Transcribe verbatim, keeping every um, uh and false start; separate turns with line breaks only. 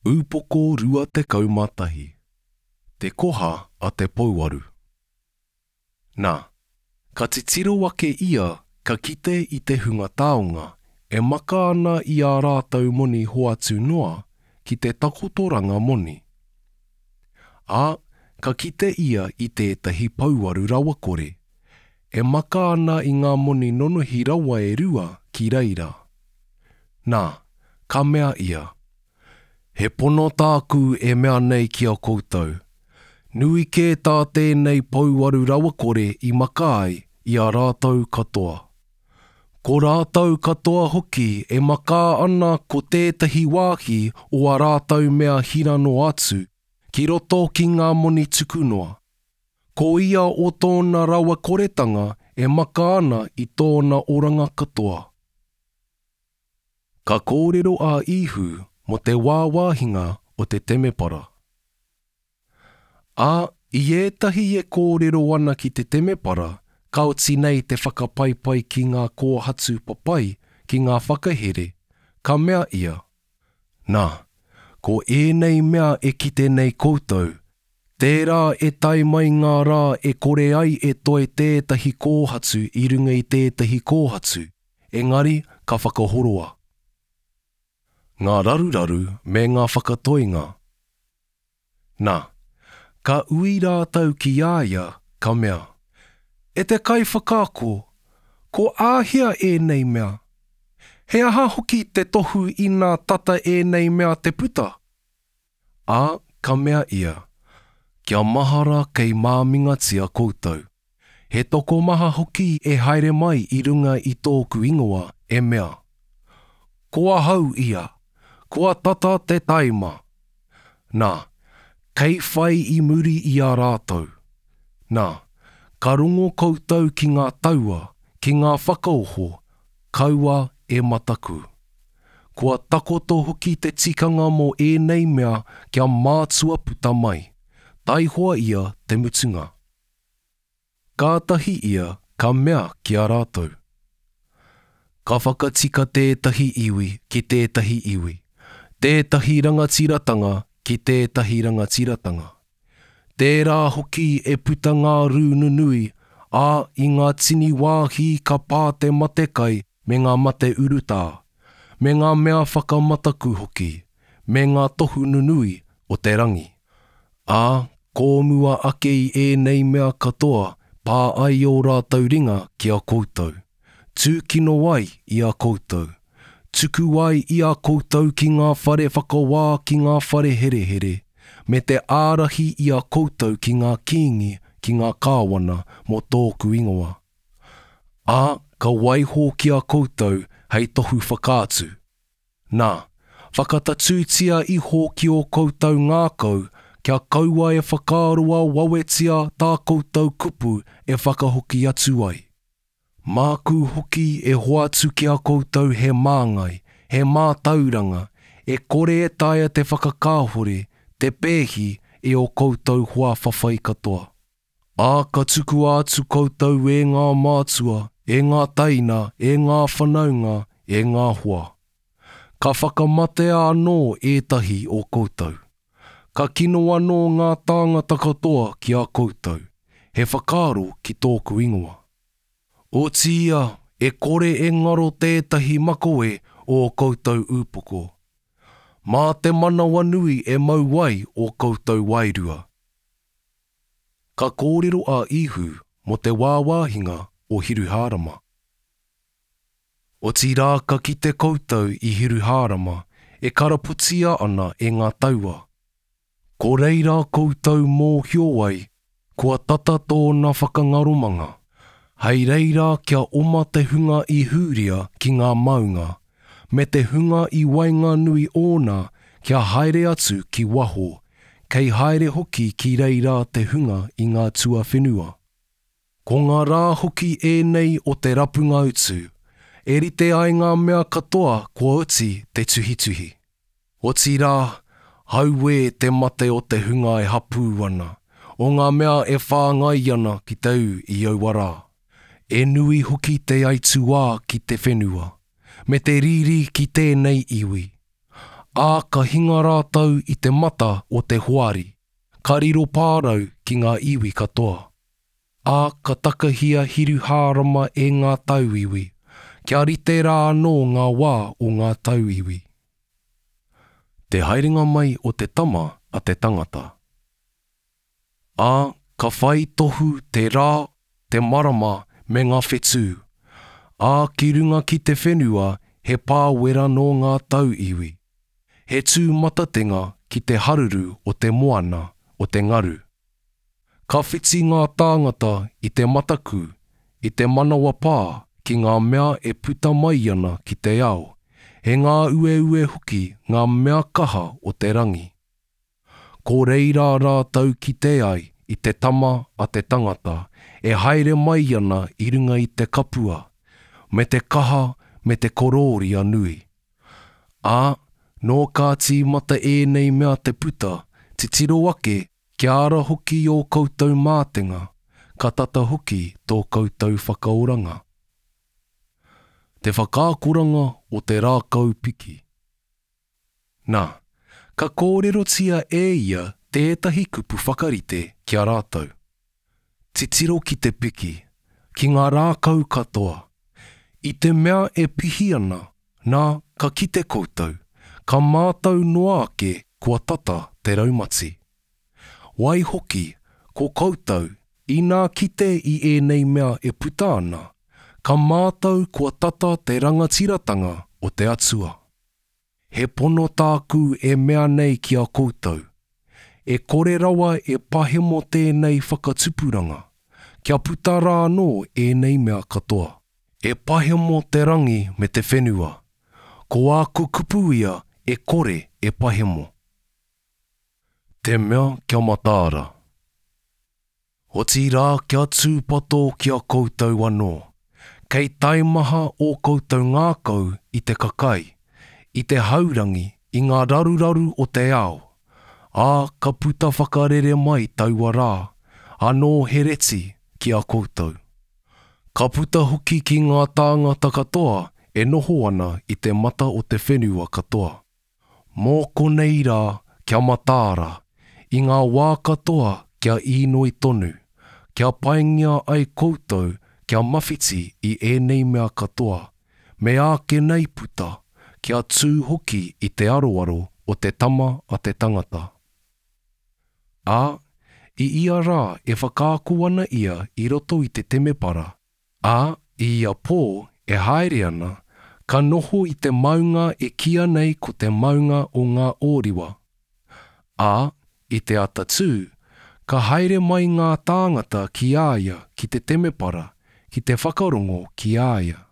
Upoko rua tekau mā tahi. Te koha a te pouaru. Nā, ka titiro ake ia ka kite i te hunga taonga e maka ana i ā rātou moni hoatu noa ki te takotoranga moni. Ā, ka kite ia i tētahi pouaru rawakore, e maka ana i ngā moni nonohi rawa e rua ki reira. Nā, ka mea ia, He pono tāku e mea nei ki a koutou, nui kē tā tēnei pouaru rawakore i maka ai i a rātou katoa. Ko rātou katoa hoki e maka ana ko tētahi wāhi o ā rātou mea hira noa atu, ki roto ki ngā moni tuku noa. Ko ia o tōna rawakoretanga e maka ana i tōna oranga katoa. Ka kōrero a Īhu mō te wāwāhinga o te temepara. Ā, i ētahi e kōrero ana ki te temepara, ka oti nei te whakapaipai ki ngā kōhatu papai ki ngā whakahere, ka mea ia, Nā, ko ēnei mea e kite nei koutou, tērā e tae mai ngā rā e kore ai e toe tētahi kōhatu i runga i tētahi kōhatu, engari ka whakahoroa. Ngā raruraru me ngā whakatoinga. Nā, ka ui rātou ki a ia, ka mea, E te kaiwhakaako, ko āhea ēnei mea? He aha hoki te tohu inā tata ēnei mea te puta? Ā, ka mea ia, Kia mahara kei māmingatia koutou. He tokomaha hoki e haere mai i runga i tōku ingoa e mea, Ko ahau ia, kua tata te taima. Nā, kei whai i muri i a rātou. Nā, ka rongo koutou ki ngā taua, ki ngā whakaoho, kaua e mataku. Kua takoto hoki te tikanga mō ēnei mea kia mātua puta mai, taihoa ia te mutunga. Kātahi ia ka mea ki a rātou, Ka whakatika tētahi iwi ki tētahi iwi, tētahi rangatiratanga ki tētahi rangatiratanga. Tērā hoki e puta ngā rū nunui, ā, i ngā tini wāhi ka pā te matekai me ngā mate urutā, me ngā mea whakamataku hoki, me ngā tohu nunui o te rangi. Ā, kōmua ake i ēnei mea katoa pā ai ō rātou ringa ki a koutou, tūkino ai i a koutou, tuku ai i a koutou ki ngā whare whakawā ki ngā whare herehere, me te ārahi i a koutou ki ngā kīngi ki ngā kāwana mō tōku ingoa. Ā, ka waiho ki a koutou hei tohu whakaatu. Nā, whakatatūtia iho ki ō koutou ngākau kia kaua e whakaaroa wawetia tā koutou kupu e whakahoki atu ai. Māku hoki e hoatu ki a koutou he māngai, he mātauranga, e kore e taea te whakakāhore, te pēhi e ō koutou hoa whawhai katoa. Ā, ka tukua atu koutou e ngā mātua, e ngā teina, e ngā whanaunga, e ngā hoa. Ka whakamatea anō ētahi o koutou. Ka kino anō ngā tāngata katoa ki a koutou, he whakaaro ki tōku ingoa. Otiia, e kore e ngaro tētahi makawe o ō koutou upoko. Mā te manawanui e mau ai ō koutou wairua. Ka kōrero a Īhu mō te wāwāhinga o Hiruhārama. Otirā ka kite koutou i Hiruhārama e karapotia ana e ngā taua. Ko reira koutou mōhio ai, kua tata tōna whakangaromanga. Hei reira kia oma te hunga i Hūria ki ngā maunga, me te hunga i waenganui ōna kia haere atu ki waho, kei haere hoki ki reira te hunga i ngā tuawhenua. Ko ngā rā hoki ēnei o te rapunga utu, e rite ai ngā mea katoa kua oti te tuhituhi. Otirā, hauē te mate o te hunga e hapū ana, o ngā mea e whāngai ana ki te ū i aua rā. E nui hoki te aituā ki te whenua, me te riri ki tēnei iwi. Ā, ka hinga rātou i te mata o te hoari, ka riro pārau ki ngā iwi katoa. Ā, ka takahia Hiruhārama e ngā tauiwi, kia rite rā anō ngā wā o ngā tauiwi. Te haerenga mai o te Tama a te tangata. Ā, ka whai tohu te rā, te marama me ngā whetū. Ā, ki runga ki te whenua he pāwera nō ngā tauiwi. He tūmatatenga ki te haruru o te moana, o te ngaru. Ka whiti ngā tāngata i te mataku, i te manawapā ki ngā mea e puta mai ana ki te ao, he ngāueue hoki ngā mea kaha o te rangi. Ko reira rātou kite ai i te Tama a te tangata e haere mai ana i runga i te kapua, me te kaha me te korōria nui. Ā, nō ka tīmata ēnei mea te puta, titiro ake kia ara hoki ō koutou mātenga, ka tata hoki tō koutou whakaoranga. Te whakaakoranga o te rākau piki. Nā, ka kōrerotia e ia tētahi kupu whakarite ki a rātou. Titiro ki te piki, ki ngā rākau katoa. I te mea e pihi ana, nā, ka kite koutou, ka mātau noa ake kua tata te raumati. Waihoki, ko koutou, inā kite i ēnei mea e puta ana, ka mātau kua tata te rangatiratanga o te Atua. He pono tāku e mea nei ki a koutou, e kore rawa e pahemo tēnei whakatupuranga, kia puta rā anō ēnei mea katoa. E pahemo te rangi me te whenua, ko āku kupu ia e kore e pahemo. Te mea kia mataara. Otirā kia tūpato ki a koutou anō, kei taimaha ō koutou ngākau i te kakai, i te haurangi, i ngā raruraru o te ao, ā, ka puta whakarere mai taua rā, anō he reti ki a koutou. Ka puta hoki ki ngā tāngata katoa e noho ana i te mata o te whenua katoa. Mō konei rā kia mataara, i ngā wā katoa kia īnoi tonu, kia paingia ai koutou kia mawhiti i ēnei mea katoa, me āke nei puta, kia tū hoki i te aroaro o te Tama a te tangata. Ā, i ia rā e whakaako ana ia i roto i te temepara, ā, i ia pō e haere ana, ka noho i te maunga e kīia nei ko te maunga o ngā Ōriwa. Ā, i te atatū, ka haere mai ngā tāngata ki a ia ki te temepara ki te whakarongo ki a ia.